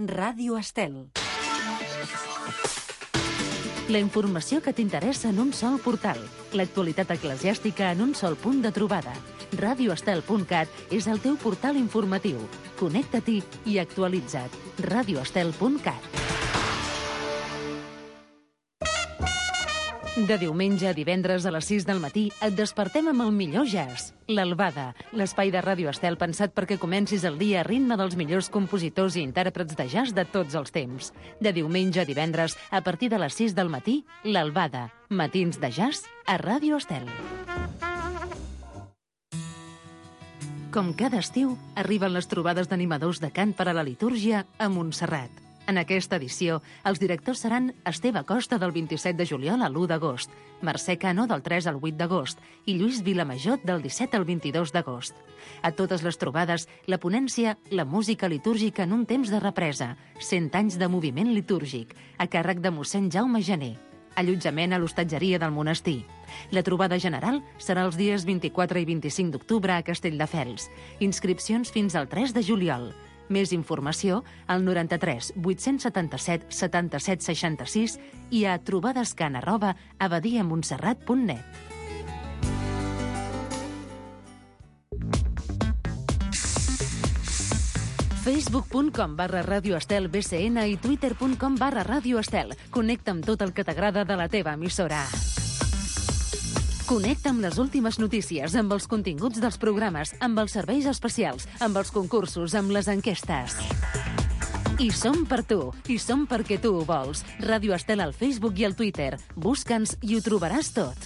Ràdio Estel. La informació que t'interessa en un sol portal. L'actualitat eclesiàstica en un sol punt de trobada. radioestel.cat és el teu portal informatiu. Connecta-t'hi i actualitza't. radioestel.cat. De diumenge a divendres a les 6 del matí et despertem amb el millor jazz. L'Albada, l'espai de Ràdio Estel pensat perquè comencis el dia a ritme dels millors compositors i intèrprets de jazz de tots els temps. De diumenge a divendres, a partir de les 6 del matí, l'Albada. Matins de jazz a Ràdio Estel. Com cada estiu, arriben les trobades d'animadors de cant per a la litúrgia a Montserrat. En aquesta edició, els directors seran Esteve Costa del 27 de juliol a l'1 d'agost, Mercè Cano del 3 al 8 d'agost i Lluís Vilamajot del 17 al 22 d'agost. A totes les trobades, la ponència La música litúrgica en un temps de represa, 100 anys de moviment litúrgic, a càrrec de mossèn Jaume Gené. Allotjament a l'hostatgeria del monestir. La trobada general serà els dies 24 i 25 d'octubre a Castelldefels. Inscripcions fins al 3 de juliol. Més informació al 93 877 77 66 i a trobadescan@abadiamontserrat.net. facebook.com/Ràdio Estel BCN i twitter.com/Ràdio Estel. Connecta amb tot el que t'agrada de la teva emissora. Connecta amb les últimes notícies, amb els continguts dels programes, amb els serveis especials, amb els concursos, amb les enquestes. I som per tu, i som perquè tu ho vols. Ràdio Estel al Facebook i al Twitter. Busca'ns i ho trobaràs tot.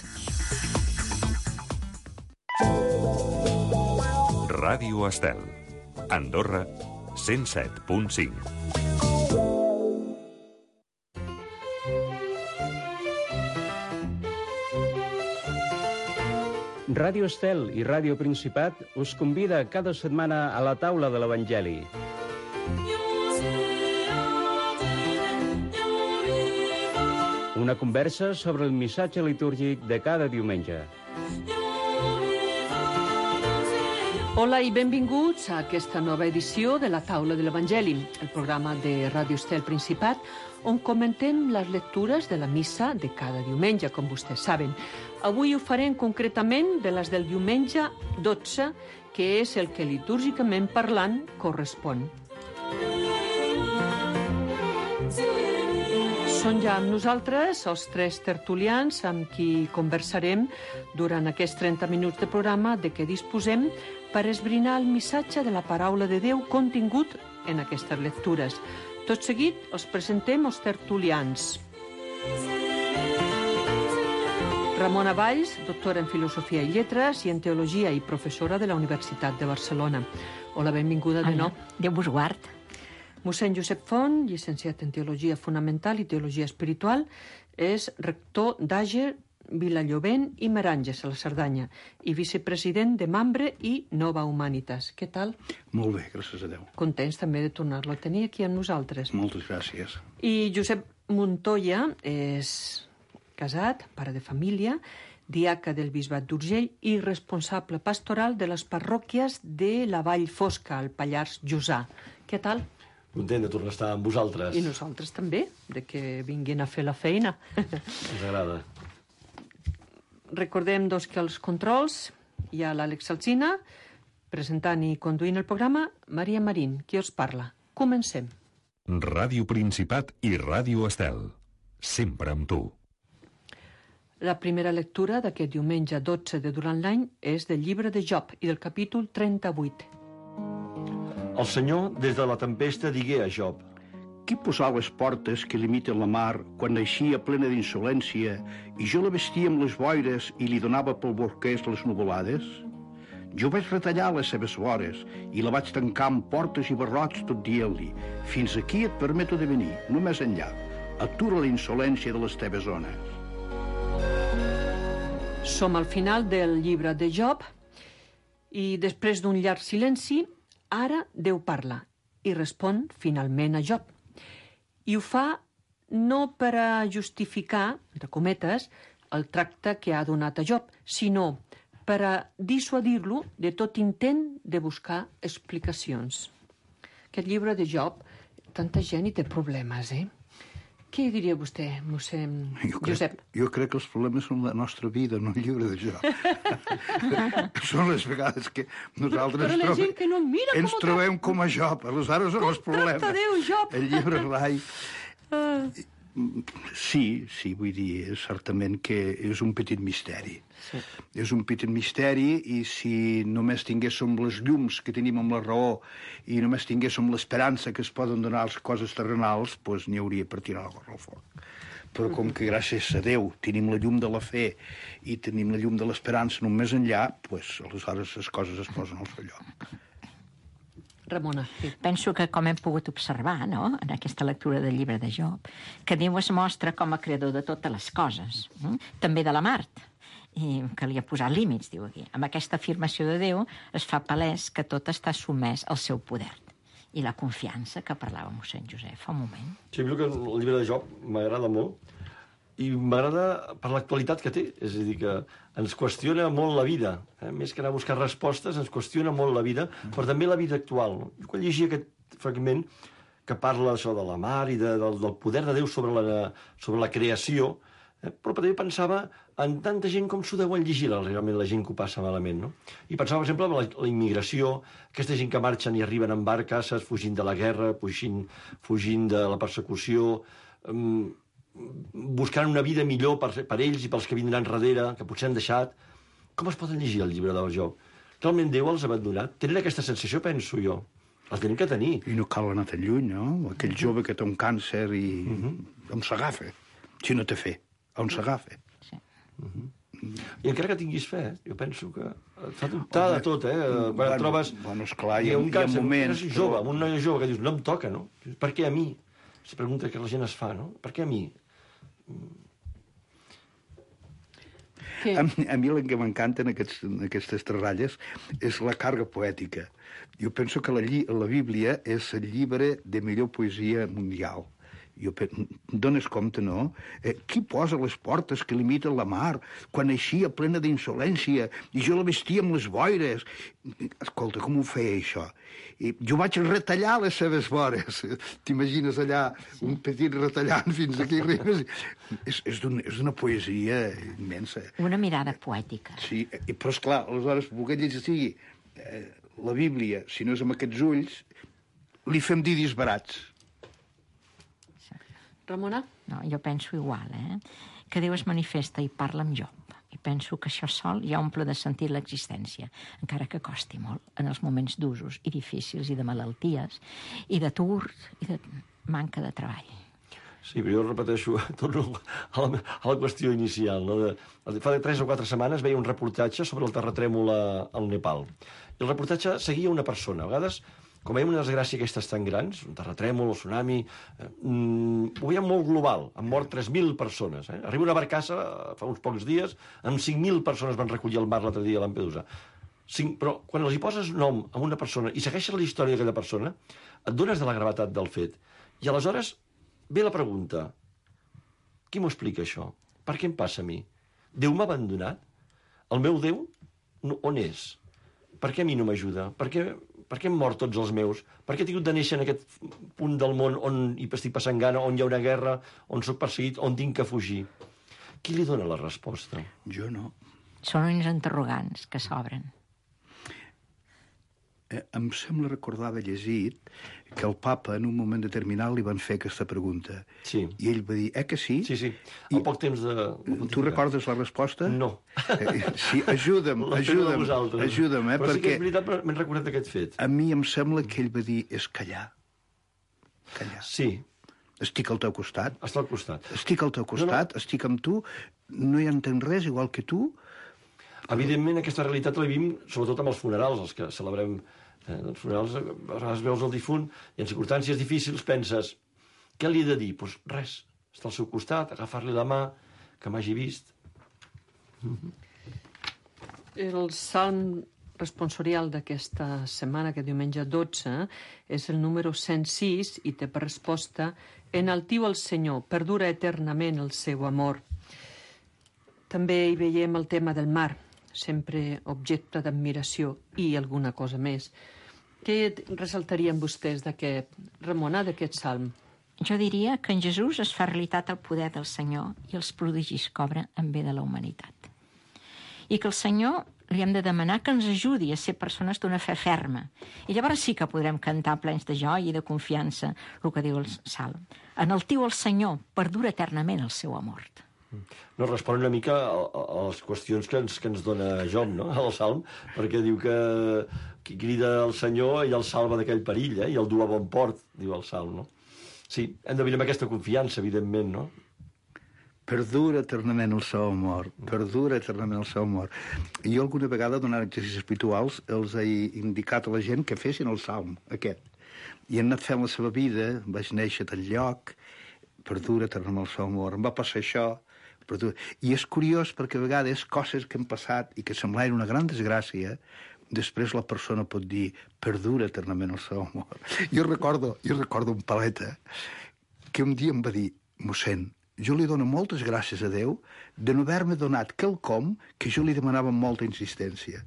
Ràdio Estel. Andorra, 107.5. Ràdio Estel i Ràdio Principat us convida cada setmana a la taula de l'Evangeli. Una conversa sobre el missatge litúrgic de cada diumenge. Hola i benvinguts a aquesta nova edició de la taula de l'Evangeli, el programa de Ràdio Estel Principat, on comentem les lectures de la missa de cada diumenge, com vostès saben. Avui ho farem concretament de les del diumenge 12, que és el que litúrgicament parlant correspon. Són ja amb nosaltres els tres tertulians amb qui conversarem durant aquests 30 minuts de programa de què disposem per esbrinar el missatge de la paraula de Déu contingut en aquestes lectures. Tot seguit els presentem els tertulians. Ramona Valls, doctora en Filosofia i Lletres i en Teologia i professora de la Universitat de Barcelona. Hola, benvinguda de nou. Déu vos guard. Mossèn Josep Font, llicenciat en Teologia Fonamental i Teologia Espiritual, és rector d'Àger, Vilallovent i Meranges, a la Cerdanya, i vicepresident de Mambre i Nova Humanitas. Què tal? Molt bé, gràcies a Déu. Contents també de tornar-lo a tenir aquí amb nosaltres. Moltes gràcies. I Josep Montoya és casat, pare de família, diaca del Bisbat d'Urgell i responsable pastoral de les parròquies de la Vall Fosca, al Pallars Jussà. Què tal? Content de tornar a estar amb vosaltres. I nosaltres també, de que vinguin a fer la feina. Ens agrada. Recordem, doncs, que als controls hi ha l'Àlex Alsina, presentant i conduint el programa, Maria Marín, qui us parla. Comencem. Ràdio Principat i Ràdio Estel. Sempre amb tu. La primera lectura d'aquest diumenge 12 de durant l'any és del llibre de Job i del capítol 38. El Senyor, des de la tempesta, digué a Job: Qui posà les portes que limiten la mar quan naixia plena d'insolència i jo la vestia amb les boires i li donava pel borquers les nuvolades? Jo vaig retallar les seves vores i la vaig tancar amb portes i barrots tot dient-li: fins aquí et permeto de venir, no més enllà. Atura la insolència de les teves zones. Som al final del llibre de Job i després d'un llarg silenci, ara Déu parla i respon finalment a Job. I ho fa no per a justificar, entre cometes, el tracte que ha donat a Job, sinó per a dissuadir-lo de tot intent de buscar explicacions. Aquest llibre de Job tanta gent i té problemes, Què diria vostè, mossèn Josep? Jo crec que els problemes són la nostra vida, no el llibre de joc. Són les vegades que nosaltres Però la gent que no mira ens trobem com a Job, aleshores són els problemes. tracta Déu, Job? El llibre rai... Sí, vull dir, certament que és un petit misteri. Sí. És un petit misteri i si només tinguéssim les llums que tenim amb la raó i només tinguéssim l'esperança que es poden donar les coses terrenals, doncs n'hi hauria per tirar la al foc. Però com que gràcies a Déu tenim la llum de la fe i tenim la llum de l'esperança en un més enllà, doncs aleshores les coses es posen al seu lloc. Ramona. Sí. Penso que, com hem pogut observar, no?, en aquesta lectura del llibre de Job, que Déu es mostra com a creador de totes les coses, també de la Mart, i que li ha posat límits, diu aquí. Amb aquesta afirmació de Déu es fa palès que tot està sotmès al seu poder. I la confiança que parlava mossèn Josep fa un moment. Sí, que el llibre de Job m'agrada molt i m'agrada per l'actualitat que té. És a dir, que ens qüestiona molt la vida. Més que anar a buscar respostes, ens qüestiona molt la vida, però també la vida actual. No? Jo quan llegia aquest fragment que parla això de la mar i del poder de Déu sobre la creació, però també pensava en tanta gent com s'ho deuen llegir realment la gent que ho passa malament, no? I pensava, per exemple, en la immigració, aquesta gent que marxen i arriben en barques, fugint de la guerra, fugint de la persecució, buscant una vida millor per ells i pels que vindran darrere, que potser han deixat. Com es poden llegir el llibre del Job? Realment Déu els ha abandonat? Tenen aquesta sensació, penso jo. Els tenen que tenir. I no cal anar tan lluny, no? Aquell jove que té un càncer i on s'agafa? Si no té fe, on s'agafa? Sí. I encara que tinguis fe, jo penso que et fa dubtar de tot, quan et trobes... Bueno, esclar, hi ha moments... Jove, amb un noi jove que dius, no em toca, no? Per què a mi? És pregunta que la gent es fa, no? Per què a mi? A mi el que m'encanta en aquestes ratlles és la càrrega poètica. Jo penso que la Bíblia és el llibre de millor poesia mundial. Dones compte, no? Qui posa les portes que limiten la mar quan eixia plena d'insolència i jo la vestia amb les boires? Escolta, com ho feia, això? Jo vaig retallar les seves vores. T'imagines allà un petit retallant fins aquí arribes? És d'una poesia immensa. Una mirada poètica. Sí, però esclar, aleshores, volguem llegir la Bíblia, si no és amb aquests ulls, li fem dir disbarats. Ramona? No, jo penso igual, que Déu es manifesta i parla amb Job. I penso que això sol ja omple de sentit l'existència, encara que costi molt, en els moments d'usos i difícils i de malalties, i d'atur, i de manca de treball. Sí, però jo repeteixo, torno a la qüestió inicial. No? Fa 3 o 4 setmanes veia un reportatge sobre el terratrèmol al Nepal. I el reportatge seguia una persona. A vegades, com veiem una desgràcia aquestes tan grans, un terratrèmol, un tsunami, ho veiem molt global. Han mort 3.000 persones. Arriba una barcassa fa uns pocs dies, amb 5.000 persones van recollir al mar l'altre dia a Lampedusa. Però quan els hi poses nom a una persona i segueixes la història d'aquella persona, et dones de la gravetat del fet. I aleshores ve la pregunta, qui m'ho explica això? Per què em passa a mi? Déu m'ha abandonat? El meu Déu on és? Per què a mi no m'ajuda? Per què hem mort tots els meus? Per què he tingut de néixer en aquest punt del món on hi estic passant gana, on hi ha una guerra, on sóc perseguit, on tinc que fugir? Qui li dona la resposta? Jo no. Són uns interrogants que s'obren. Em sembla recordar haver llegit que el papa en un moment determinat li van fer aquesta pregunta. Sí. I ell va dir, que sí? Sí. Al poc temps de... Tu recordes la resposta? No. Sí, ajuda'm, però perquè... sí que és veritat, m'he recordat aquest fet. A mi em sembla que ell va dir, és callar. Callar. Sí. Estic al teu costat. Està al costat. Estic al teu costat, estic amb tu, no hi entenc res, igual que tu. Evidentment, aquesta realitat la vivim sobretot amb els funerals, els que celebrem els funerals, a vegades veus el difunt i en circumstàncies difícils penses, què li he de dir? Doncs res, està al seu costat, agafar-li la mà, que m'hagi vist. El salm responsorial d'aquesta setmana, que diumenge 12, és el número 106 i té per resposta «Enaltiu el Senyor, perdura eternament el seu amor». També hi veiem el tema del mar, sempre objecte d'admiració i alguna cosa més. Què ressaltarien vostès d'aquest, Ramona, d'aquest salm? Jo diria que en Jesús es fa realitat el poder del Senyor i els prodigis que obra en bé de la humanitat. I que el Senyor li hem de demanar que ens ajudi a ser persones d'una fe ferma. I llavors sí que podrem cantar plens de joia i de confiança, el que diu el salm. Enaltiu el Senyor, perdura eternament el seu amor. No, respon una mica a les qüestions que ens dona Job, no?, al Salm, perquè diu que qui crida el Senyor i el salva d'aquell perill, i el du a bon port, diu el Salm, no? Sí, hem de venir amb aquesta confiança, evidentment, no? Perdura eternament el seu amor, perdura eternament el seu amor. I jo alguna vegada, donant exercicis espirituals, els he indicat a la gent que fessin el salm, aquest. I han anat fent la seva vida, vaig néixer a tal lloc, perdura eternament el seu amor. Em va passar això, perdura. I és curiós perquè a vegades coses que han passat i que semblaven una gran desgràcia, després la persona pot dir perdura eternament el seu amor. Jo recordo un paleta que un dia em va dir, mossèn, jo li dono moltes gràcies a Déu de no haver-me donat quelcom que jo li demanava amb molta insistència.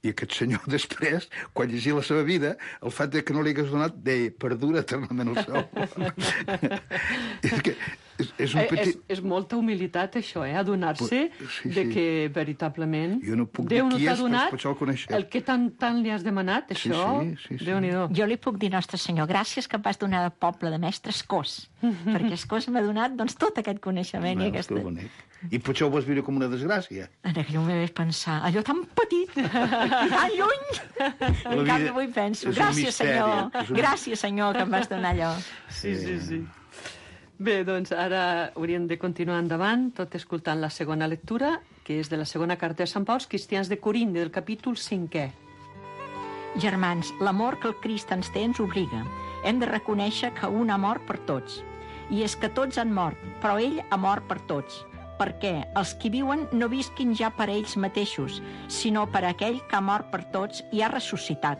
I aquest senyor després, quan llegia la seva vida, el fet que no li hagués donat deia, perdura eternament el seu amor. És que és un petit... És molta humilitat, això, adonar-se de que, veritablement, jo no puc Déu dir no qui t'ha és, donat però el coneixer. el que tant li has demanat, això, sí. Déu-n'hi-do. Jo li puc dir, Nostre Senyor, gràcies que em vas donar de poble de mestres Cos, perquè Escós m'ha donat doncs, tot aquest coneixement i aquesta... I potser ho vas viure com una desgràcia. En aquell moment vaig pensar, allò tan petit, tan lluny. En canvi avui penso, gràcies Senyor, que em vas donar allò. Sí. Bé, doncs ara hauríem de continuar endavant, tot escoltant la segona lectura, que és de la segona carta de Sant Pau als cristians de Corint, del capítol 5è. Germans, l'amor que el Crist ens té ens obliga. Hem de reconèixer que un ha mort per tots. I és que tots han mort, però ell ha mort per tots. Perquè els qui viuen no visquin ja per ells mateixos, sinó per aquell que ha mort per tots i ha ressuscitat.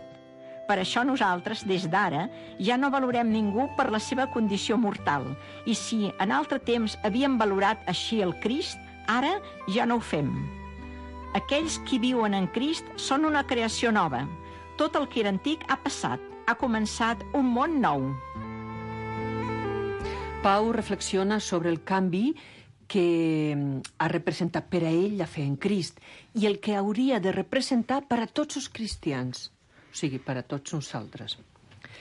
Per això nosaltres, des d'ara, ja no valorem ningú per la seva condició mortal. I si en altre temps havíem valorat així el Crist, ara ja no ho fem. Aquells qui viuen en Crist són una creació nova. Tot el que era antic ha passat. Ha començat un món nou. Pau reflexiona sobre el canvi que ha representat per a ell la fe en Crist i el que hauria de representar per a tots els cristians, o sigui, per a tots nosaltres.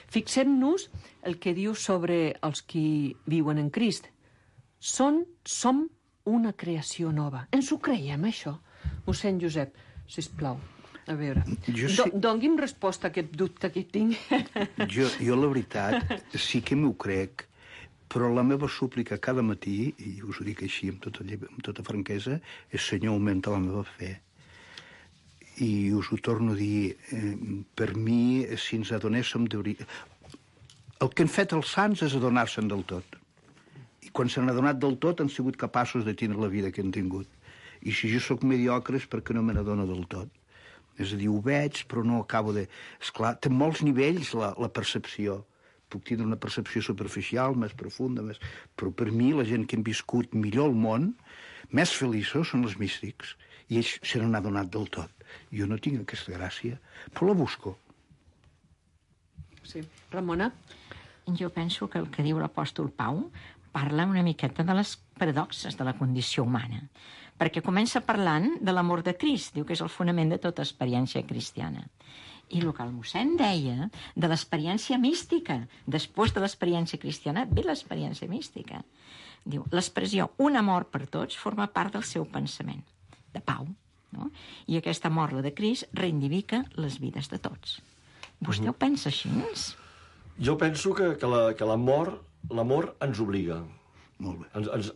Fixem-nos el que diu sobre els qui viuen en Crist. Som una creació nova. Ens ho creiem, això? Mossèn Josep, sisplau, a veure. Doni'm resposta a aquest dubte que tinc. Jo la veritat, sí que m'ho crec, però la meva súplica cada matí, i us ho dic així amb tota franquesa, és Senyor, augmenta la meva fe. I us ho torno a dir, per mi, si ens adonéssim el que han fet els sants és adonar-se'n del tot. I quan s'han adonat del tot han sigut capaços de tindre la vida que han tingut. I si jo sóc mediocre és perquè no me n'adono del tot. És a dir, ho veig, però no acabo de... Esclar, té molts nivells la percepció. Puc tindre una percepció superficial, més profunda, però per mi la gent que han viscut millor el món, més feliços són els místics. I ells se n'han adonat del tot. Jo no tinc aquesta gràcia, però la busco. Sí. Ramona? Jo penso que el que diu l'apòstol Pau parla una miqueta de les paradoxes de la condició humana, perquè comença parlant de l'amor de Crist, diu que és el fonament de tota experiència cristiana. I el que el mossèn deia de l'experiència mística, després de l'experiència cristiana, ve l'experiència mística. Diu, l'expressió un amor per tots forma part del seu pensament, de Pau, no? I aquest amor, la de Crist, reivindica les vides de tots. Vostè ho pensa així? Jo penso que l'amor ens obliga. Molt bé.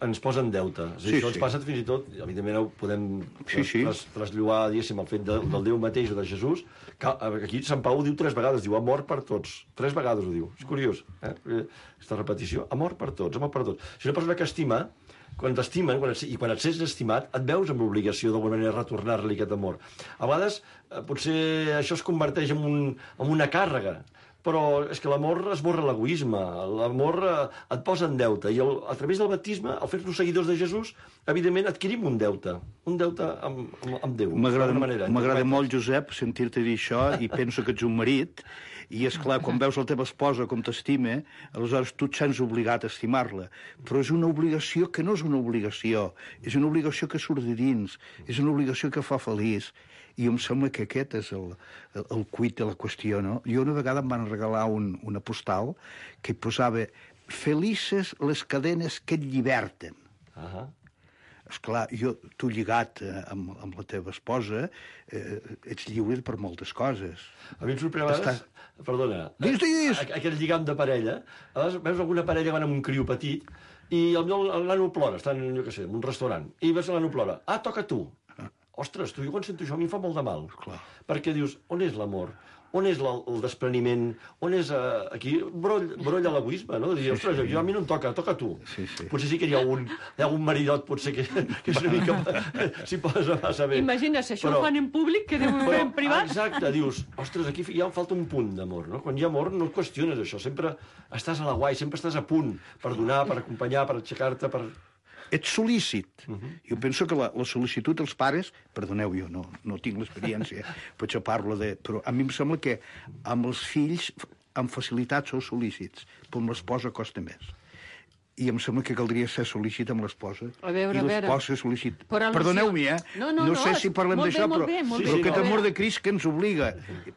Ens posa en deute. Sí, això ens passa fins i tot, evidentment ho podem traslluar, diguéssim, el fet del Déu mateix o de Jesús, que aquí Sant Pau ho diu 3 vegades, diu amor per tots. 3 vegades ho diu. És curiós, aquesta repetició. Amor per tots, amor per tots. Si una persona que estima, quan t'estimen i quan et sents estimat, et veus amb l'obligació d'alguna manera de retornar-li aquest amor. A vegades, potser això es converteix en una càrrega, però és que l'amor esborra l'egoisme, l'amor et posa en deute, i a través del baptisme, al fer-nos seguidors de Jesús, evidentment adquirim un deute amb Déu. M'agrada molt, Josep, sentir-te dir això, i penso que ets un marit, i és clar, quan veus la teva esposa com t'estima, aleshores tu et sents obligat a estimar-la. Però és una obligació que no és una obligació, és una obligació que surt de dins, és una obligació que fa feliç. I em sembla que aquest és el quid de la qüestió, no? Jo una vegada em van regalar una postal que posava «Felices les cadenes que et lliberten». Esclar, tu lligat amb la teva esposa, ets lliure per moltes coses. A mi em sorprèn a vegades... Perdona. Digues. Aquest lligam de parella. A vegades veus alguna parella que van amb un criu petit i el nano plora, estan, jo què sé, en un restaurant, i veus el nano plora. Ah, toca tu. Ostres, jo quan sento això a mi em fa molt de mal. Clar. Perquè dius, on és l'amor? On és el despreniment? On és... Aquí brolla l'egoisme, no? De dir, ostres, a mi no em toca, toca tu. Sí. Potser sí que hi ha algun maridot, potser que és una mica... S'hi posa massa bé. Imagina, si això ho fan en públic, que deu fer en privat. Exacte, dius, ostres, aquí ja em falta un punt d'amor, no? Quan hi ha amor no et qüestiones això, sempre estàs a la guai, sempre estàs a punt per donar, per acompanyar, per aixecar-te, per... Ets sol·lícit. Jo penso que la sol·licitud dels pares, perdoneu, jo no tinc l'experiència, potser parlo de... Però a mi em sembla que amb els fills, amb facilitat, sou sol·lícits, però amb l'esposa costa més. I em sembla que caldria ser sol·lícit amb l'esposa. A veure. I l'esposa sol·lícit. Per al·lusió. Perdoneu-m'hi, No sé si parlem d'això, però aquest amor de Crist que ens obliga.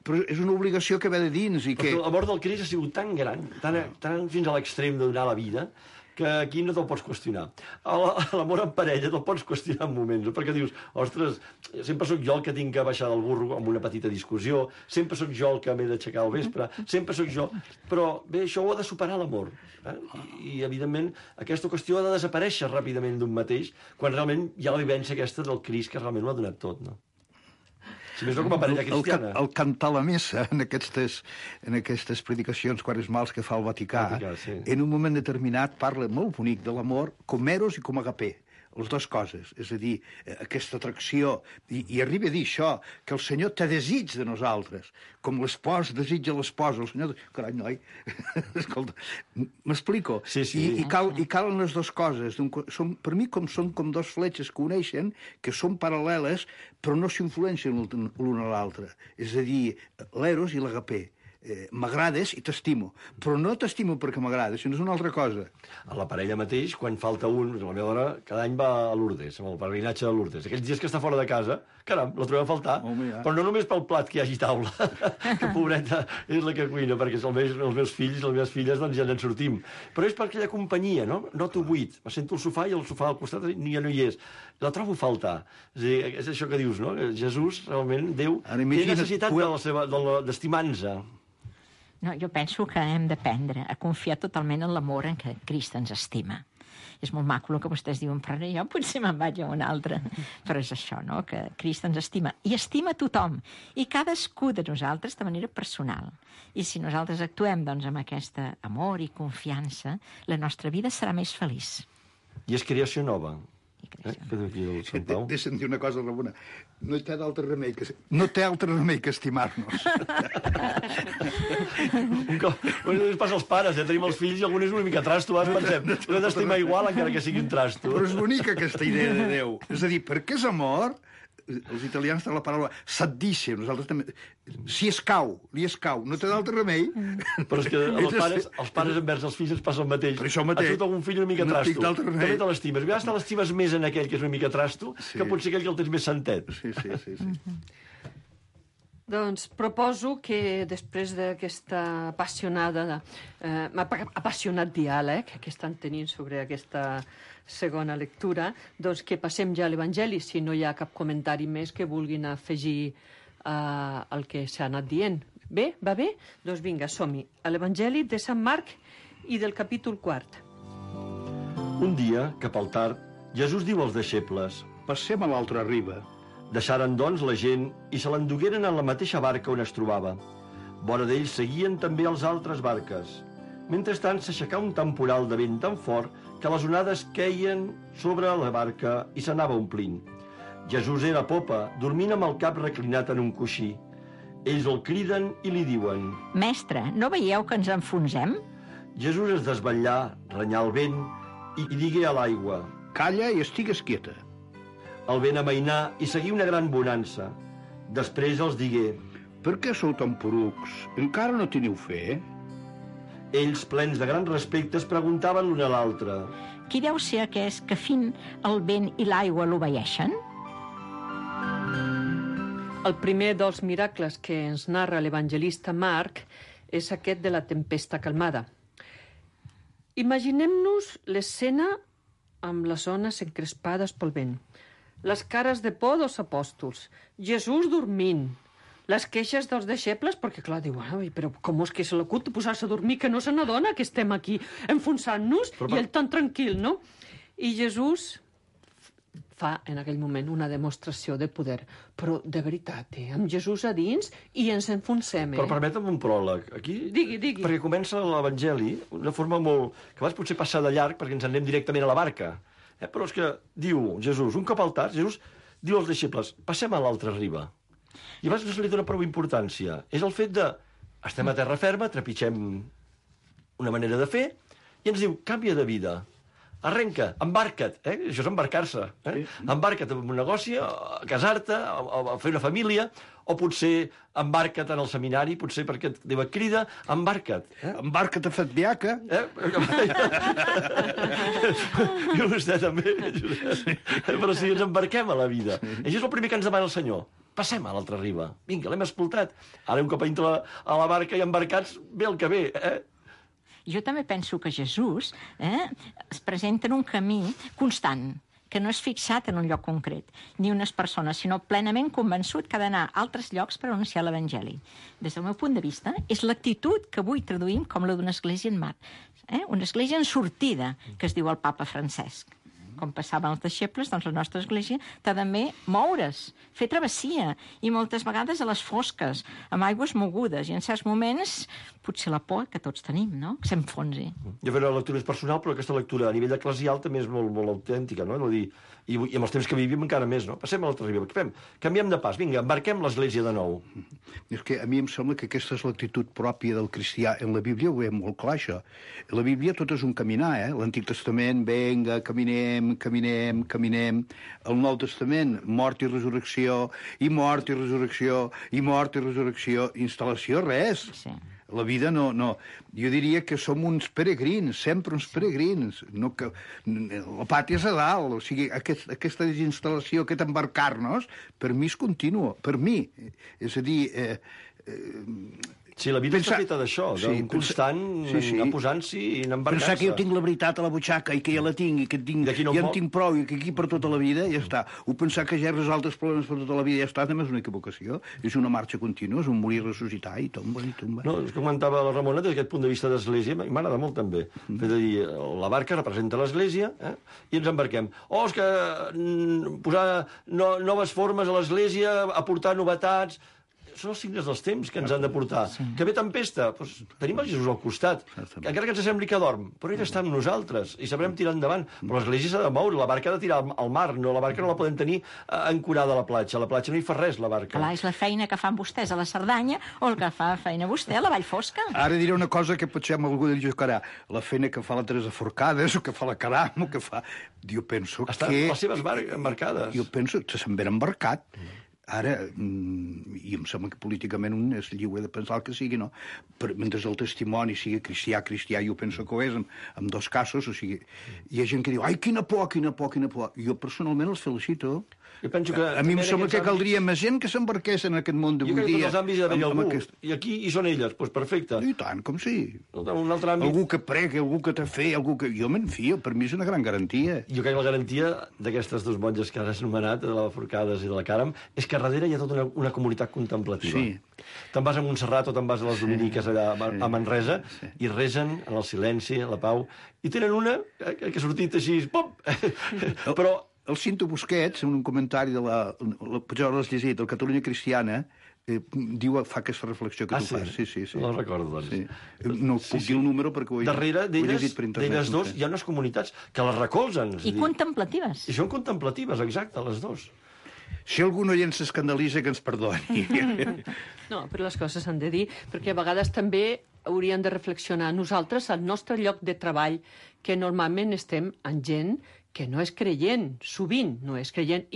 Però és una obligació que ve de dins i que... Perquè l'amor del Crist ha sigut tan gran, tan fins a l'extrem de donar la vida, que aquí no te'l pots qüestionar. L'amor en parella te'l pots qüestionar en moments, perquè dius, ostres, sempre sóc jo el que tinc que baixar del burro amb una petita discussió, sempre sóc jo el que m'he d'aixecar al vespre, sempre sóc jo... Però bé, això ho ha de superar l'amor. I, evidentment, aquesta qüestió ha de desaparèixer ràpidament d'un mateix, quan realment hi ha la vivència aquesta del Crist que realment ho ha donat tot, no? Si més no com a parella cristiana. El cantar la missa en aquestes predicacions quaresmals que fa el Vaticà, sí. En un moment determinat parla molt bonic de l'amor com eros i com agapé. Les dues coses, és a dir, aquesta atracció, i arriba a dir això, que el Senyor té desig de nosaltres, com l'espòs desitja l'esposa, el Senyor... Carai, noi, escolta, m'explico? Sí. I calen les dues coses. Per mi són com dos fletxes que uneixen, que són paral·leles, però no s'influencien l'una a l'altra. És a dir, l'eros i l'agapé. M'agrades i t'estimo, però no t'estimo perquè m'agrades, sinó és una altra cosa. A la parella mateix, quan falta un, la meva dona cada any va a Lourdes, amb el peregrinatge de Lourdes. Aquells dies que està fora de casa, caram, la trobem a faltar, però no només pel plat que hi hagi taula, que pobreta és la que cuina, perquè els meus fills i les meves filles doncs ja n'en sortim. Però és per aquella companyia, no? Noto buit. Me sento al sofà i el sofà al costat ja no hi és. La trobo a faltar. És això que dius, no? Jesús, realment, Déu, té necessitat d'estimar-nos. No, jo penso que hem d'aprendre a confiar totalment en l'amor en què Crist ens estima. És molt maco el que vostès diuen, però jo potser me'n vaig a un altre. Però és això, no?, que Crist ens estima. I estima tothom. I cadascú de nosaltres de manera personal. I si nosaltres actuem, doncs, amb aquest amor i confiança, la nostra vida serà més feliç. I és creació nova. Deixa'm dir una cosa, Ramona. No té altre remei que estimar-nos. Un cop ens passa als pares, tenim els fills i algun és una mica trasto, pensem, l'he d'estimar igual encara que sigui un trasto. Però és bonica aquesta idea de Déu. És a dir, perquè és amor, els italians tenen la paraula s'addice, nosaltres també... Si escau, li escau, no té d'altre remei. Però és que els pares envers els fills ens passa el mateix. Per això mateix. Has algun fill una mica trasto, també te l'estimes. A vegades te l'estimes més en aquell que és una mica trasto que potser aquell que el tens més sentet. Sí. Doncs proposo que després d'aquesta apassionat diàleg que estan tenint sobre aquesta segona lectura, doncs que passem ja a l'Evangeli, si no hi ha cap comentari més que vulguin afegir al que s'ha anat dient. Bé? Va bé? Doncs vinga, som-hi. A l'Evangeli de Sant Marc i del capítol 4. Un dia, cap al tard, Jesús diu als deixebles: Passem a l'altra riba. Deixaren, doncs, la gent i se l'endugueren en la mateixa barca on es trobava. Vora d'ells seguien també els altres barques. Mentrestant s'aixecà un temporal de vent tan fort que les onades queien sobre la barca i s'anava omplint. Jesús era a popa, dormint amb el cap reclinat en un coixí. Ells el criden i li diuen: Mestre, no veieu que ens enfonsem? Jesús es desvetllà, renyà el vent i digué a l'aigua. Calla i estigues quieta. El vent amainà i seguí una gran bonança. Després els digué: Per què sou tan porucs? Encara no teniu fe? Ells, plens de gran respecte, es preguntaven l'un a l'altre: Qui deu ser aquest que fin el vent i l'aigua l'obeeixen? El primer dels miracles que ens narra l'evangelista Marc és aquest de la tempesta calmada. Imaginem-nos l'escena amb les ones encrespades pel vent, les cares de por dels apòstols, Jesús dormint, les queixes dels deixebles, perquè clar, diu, però com és que se l'acut de posar-se a dormir, que no se n'adona que estem aquí enfonsant-nos, i ell tan tranquil, no? I Jesús fa en aquell moment una demostració de poder, però de veritat, amb Jesús a dins i ens enfonsem. Però permetem un pròleg. Aquí, digui. Perquè comença l'Evangeli d'una forma molt... que abans potser passar de llarg perquè ens anem directament a la barca. Però és que diu Jesús, un cop al tard, Jesús diu als deixebles: passem a l'altra riba. I abans no se li dona prou importància. És el fet de... estem a terra ferma, trepitgem una manera de fer, i ens diu: canvia de vida. Arrenca, embarca't, això és embarcar-se. Sí. Embarca't en un negoci, a casar-te, a fer una família, o potser embarca't en el seminari, potser perquè Déu et crida, embarca't. Embarca't a Fatbiaca. I vostè també, Josep. Però si ens embarquem a la vida. Això és el primer que ens demana el Senyor. Passem a l'altra riba. Vinga, l'hem escoltat. Ara un cop entra a la barca i embarcats, ve el que ve, Jo també penso que Jesús es presenta en un camí constant, que no és fixat en un lloc concret, ni unes persones, sinó plenament convençut que ha d'anar a altres llocs per anunciar l'Evangeli. Des del meu punt de vista, és l'actitud que avui traduïm com la d'una església en mar. Una església en sortida, que es diu el papa Francesc. Com passaven els deixebles, doncs la nostra església t'ha també moure's, fer travessia, i moltes vegades a les fosques, amb aigües mogudes, i en certs moments potser la por que tots tenim, no?, que s'enfonsi. Jo faré la lectura és personal, però aquesta lectura a nivell eclesial també és molt, molt autèntica, no? I amb els temps que vivim encara més, no? Passem a l'altra riba. Canviem de pas, vinga, embarquem l'església de nou. És que a mi em sembla que aquesta és l'actitud pròpia del cristià. En la Bíblia ho veiem molt clar, això. En la Bíblia tot és un caminar, L'Antic Testament, vinga, caminem. El Nou Testament, mort i resurrecció, i mort i resurrecció, i mort i resurrecció. Instal·lació, res. Sí. La vida no... Jo diria que som uns peregrins, sempre uns peregrins. No que... La pàtria és a dalt, o sigui, aquesta desinstal·lació, aquest embarcar-nos, per mi és continu, per mi. És a dir... Sí, la vida està feta d'això, d'un constant anar posant-s'hi i anar embarcant-se. Pensar que jo tinc la veritat a la butxaca i que ja la tinc i que ja en tinc prou i que aquí per tota la vida ja està. O pensar que ja he resolt els problemes per tota la vida ja està, també és una equivocació. És una marxa contínua, és un morir, ressuscitar i tomba i tomba. No, és que comentava la Ramona des d'aquest punt de vista d'església, m'agrada molt també. És a dir, la barca representa l'església i ens embarquem. És que posar noves formes a l'església, aportar novetats... Són els signes dels temps que ens han de portar. Sí. Que ve tempesta, doncs tenim el Jesús al costat. Encara que ens sembli que dorm, però ell està amb nosaltres i sabrem tirar endavant. Però l'església s'ha de moure, la barca ha de tirar al mar, no, la barca no la podem tenir ancorada a la platja. A la platja no hi fa res, la barca. Clar, és la feina que fan vostès a la Cerdanya o el que fa feina vostè a la Vall Fosca. Ara diré una cosa que potser amb algú del jugarà. La feina que fa la Teresa Forcades o que fa la Caram o que fa... Jo penso que... Estan les seves embarcades. Jo penso que se'n ve embarcat. Ara, i em sembla que políticament un és lliure de pensar el que sigui, no? Però mentre el testimoni sigui cristià, jo penso que ho és, en dos casos, o sigui, hi ha gent que diu, ai, quina por. Jo personalment els felicito. Jo penso que a mi em sembla que caldria més gent que s'embarqués en aquest món d'avui dia. Jo crec que tots els àmbits hi ha d'haver algú, i aquí hi són elles, doncs perfecte. I tant, com sí. Un altre àmbit... Algú que prega, algú que té fe, algú que... Jo me'n fio, per mi és una gran garantia. Jo crec que la garantia d'aquestes dues monges que has anomenat, de la Forcades i de la Caram, és que darrere hi ha tota una comunitat contemplativa. Sí. Te'n vas a Montserrat o te'n vas a les Dominiques allà a Manresa i resen en el silenci, en la pau, i tenen una que ha sortit així, pop! Però... El Cinto Busquets, en un comentari de potser l'has llegit, el Catalunya Cristiana, fa aquesta reflexió que tu fas. Sí. No el recordo, doncs. Sí. No puc dir el número perquè ho he llegit per internet. D'elles dos hi ha unes comunitats que les recolzen. I contemplatives. I són contemplatives, exacte, les dos. Si algun oient s'escandalitza, que ens perdoni. No, però les coses s'han de dir, perquè a vegades també hauríem de reflexionar nosaltres al nostre lloc de treball, que normalment estem amb gent que no és creient, sovint no és creient,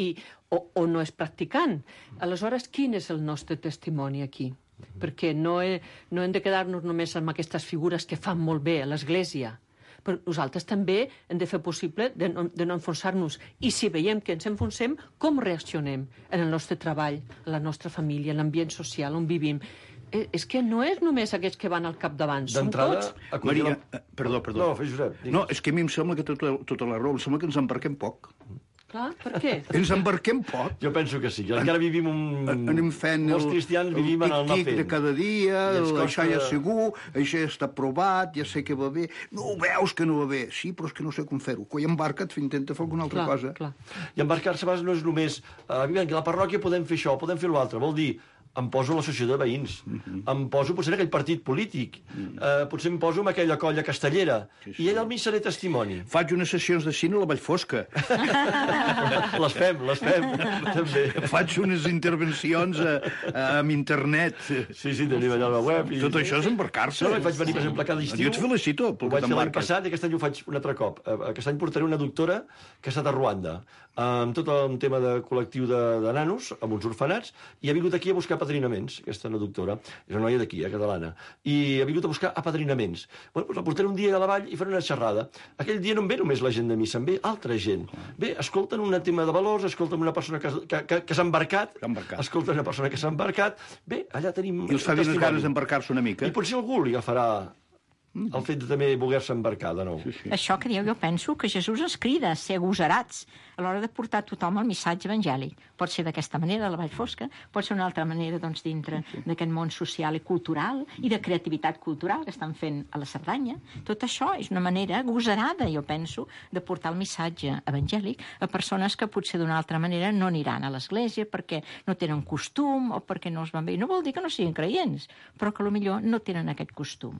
o no és practicant. Aleshores, quin és el nostre testimoni aquí? Perquè no hem de quedar-nos només amb aquestes figures que fan molt bé a l'Església, però nosaltres també hem de fer possible de no enfonsar-nos. I si veiem que ens enfonsem, com reaccionem en el nostre treball, en la nostra família, en l'ambient social on vivim? És que no és només aquests que van al capdavant, som tots. Maria, perdó. No, fes Josep. No, és que a mi em sembla que tota la raó, em sembla que ens embarquem poc. Clar, per què? Ens embarquem poc. Jo penso que sí, que encara vivim Anem fent molts cristians vivim en el anar tic-tic fent. de cada dia, això ja és segur, això ja està provat, ja sé que va bé. No veus que no va bé? Sí, però és que no sé com fer-ho. Quan embarca't, intenta fer alguna altra cosa. Clar. I embarcar-se a vegades no és només a la parròquia podem fer això, podem fer l'altre. Vol dir, em poso a l'associació de veïns, em poso potser en aquell partit polític, potser em poso en aquella colla castellera, i allà al mig seré testimoni. Faig unes sessions de cine a la Vallfosca. Les fem, també. Faig unes intervencions amb internet. Sí, tenim allà la web. Tot això és embarcar-se. No, vaig venir, per exemple, cada estiu. Jo et felicito pel Ho que vaig fer l'any t'embarques. passat i aquest any ho faig un altre cop. Aquest any portaré una doctora que ha estat a Ruanda, amb tot el tema de col·lectiu de nanos, amb uns orfenats, i ha vingut aquí a buscar apadrinaments, aquesta una doctora, és una noia d'aquí, catalana, i ha vingut a buscar apadrinaments. Bueno, doncs la portaré un dia a la vall i faré una xerrada. Aquell dia no em ve només la gent de missa, em ve altra gent. Bé, escolten un tema de valors, escolten una persona que s'ha embarcat, escolten una persona que s'ha embarcat. Bé, allà tenim... I els fa més ganes d'embarcar-se una mica. I potser algú li agafarà el fet de també voler-se embarcar de nou. Això que dieu, jo penso que Jesús ens crida a ser agosarats a l'hora de portar a tothom el missatge evangèlic. Pot ser d'aquesta manera, a la Vall Fosca, pot ser una altra manera, doncs, dintre d'aquest món social i cultural i de creativitat cultural que estan fent a la Cerdanya. Tot això és una manera agosarada, jo penso, de portar el missatge evangèlic a persones que potser d'una altra manera no aniran a l'església perquè no tenen costum o perquè no els van bé. No vol dir que no siguin creients, però que potser no tenen aquest costum.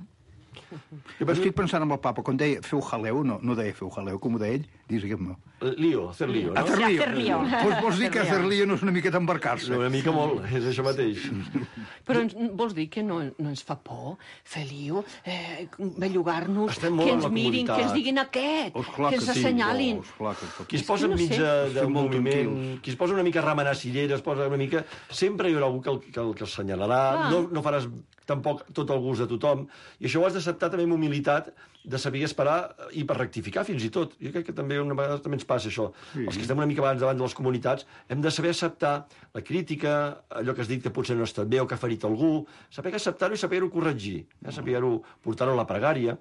Estic pensant en el papa, quan deia feu jaleu, no deia feu jaleu, com ho deia ell, digue'm-ho. Hacer lío, no? Hacer lío. Doncs vols dir que hacer lío no és una miqueta embarcar-se? Una mica molt, és això mateix. Però vols dir que no ens fa por fer lío, bellugar-nos, que ens mirin, que ens diguin aquest, que ens assenyalin. Qui es posa enmig del moviment, qui es posa una mica a remenar cireres, posa una mica... Sempre hi haurà algú que el assenyalarà, no faràs tampoc tot el gust de tothom, i això ho has d'acceptar també amb humilitat, de saber esperar i per rectificar fins i tot. Jo crec que també una vegada també ens passa això. Els que estem una mica abans davant de les comunitats hem de saber acceptar la crítica, allò que has dit que potser no ha estat bé o que ha ferit algú, saber acceptar-ho i saber-ho corregir, saber-ho portar-ho a la pregària.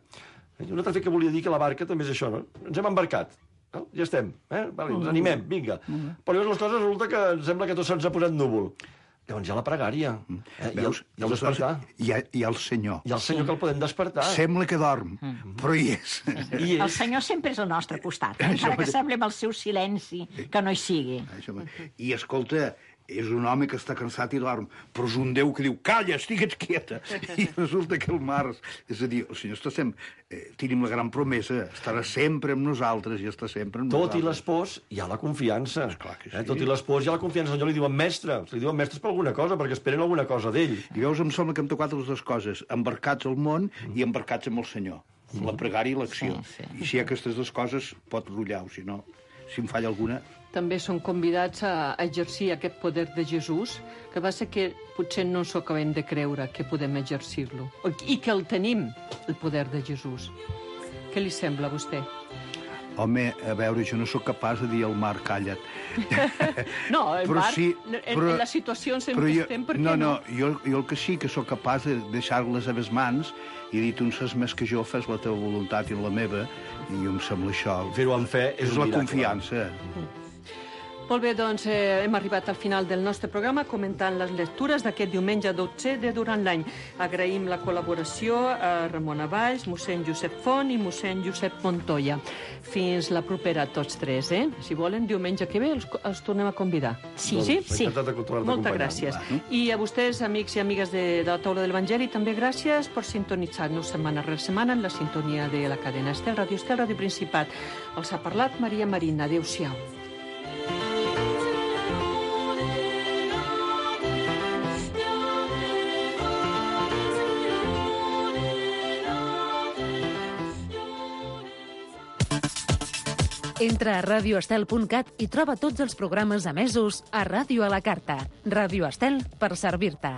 Un altre fet que volia dir que la barca també és això, no? Ens hem embarcat. No? Ja estem, vale, ens animem, vinga. Però llavors les coses resulta que ens sembla que tot se'ns ha posat núvol. Llavors hi ha la pregària. Veus? I el despertar. Hi ha el Senyor. Hi ha el Senyor que el podem despertar. Sembla que dorm, però hi és. El Senyor sempre és al nostre costat, encara que sembli amb el seu silenci que no hi sigui. I escolta, és un home que està cansat i dorm, però és un Déu que diu, calla, estigues quieta. I resulta que el mar... És a dir, el Senyor està sempre... Tenim la gran promesa, estarà sempre amb nosaltres i està sempre amb nosaltres. Tot i les pors, hi ha la confiança. Esclar que sí. Tot i les pors, hi ha la confiança. El Senyor li diuen mestres. Li diuen mestres per alguna cosa, perquè esperen alguna cosa d'ell. I veus, em sembla que hem tocat les dues coses, embarcats al món i embarcats amb el Senyor. La pregària i l'acció. I si hi ha aquestes dues coses, pot rotllar-ho, si no, si em falla alguna... També són convidats a exercir aquest poder de Jesús, que va ser que potser no ens ho acabem de creure que podem exercir-lo, i que el tenim, el poder de Jesús. Què li sembla a vostè? Home, a veure, jo no sóc capaç de dir al mar, calla't. No, el mar, sí, en les situacions en què estem, per què no? No, jo el que sí que sóc capaç de deixar-les a les mans i dir, tu en saps més que jo, fes la teva voluntat i la meva, i em sembla això... Fer-ho amb fe és un la miracle. Confiança. Molt bé, doncs hem arribat al final del nostre programa comentant les lectures d'aquest diumenge 12 de durant l'any. Agraïm la col·laboració a Ramon Valls, mossèn Josep Font i mossèn Josep Montoya. Fins la propera a tots tres, Si volen, diumenge que ve els tornem a convidar. Sí, Doncs, sí. Moltes gràcies. I a vostès, amics i amigues de la taula de l'Evangeli, també gràcies per sintonitzar-nos setmana rere setmana en la sintonia de la cadena Estel, Ràdio Principat. Els ha parlat Maria Marina. Adéu-siau. Entra a radioestel.cat i troba tots els programes emesos a Ràdio a la Carta. Ràdio Estel, per servir-te.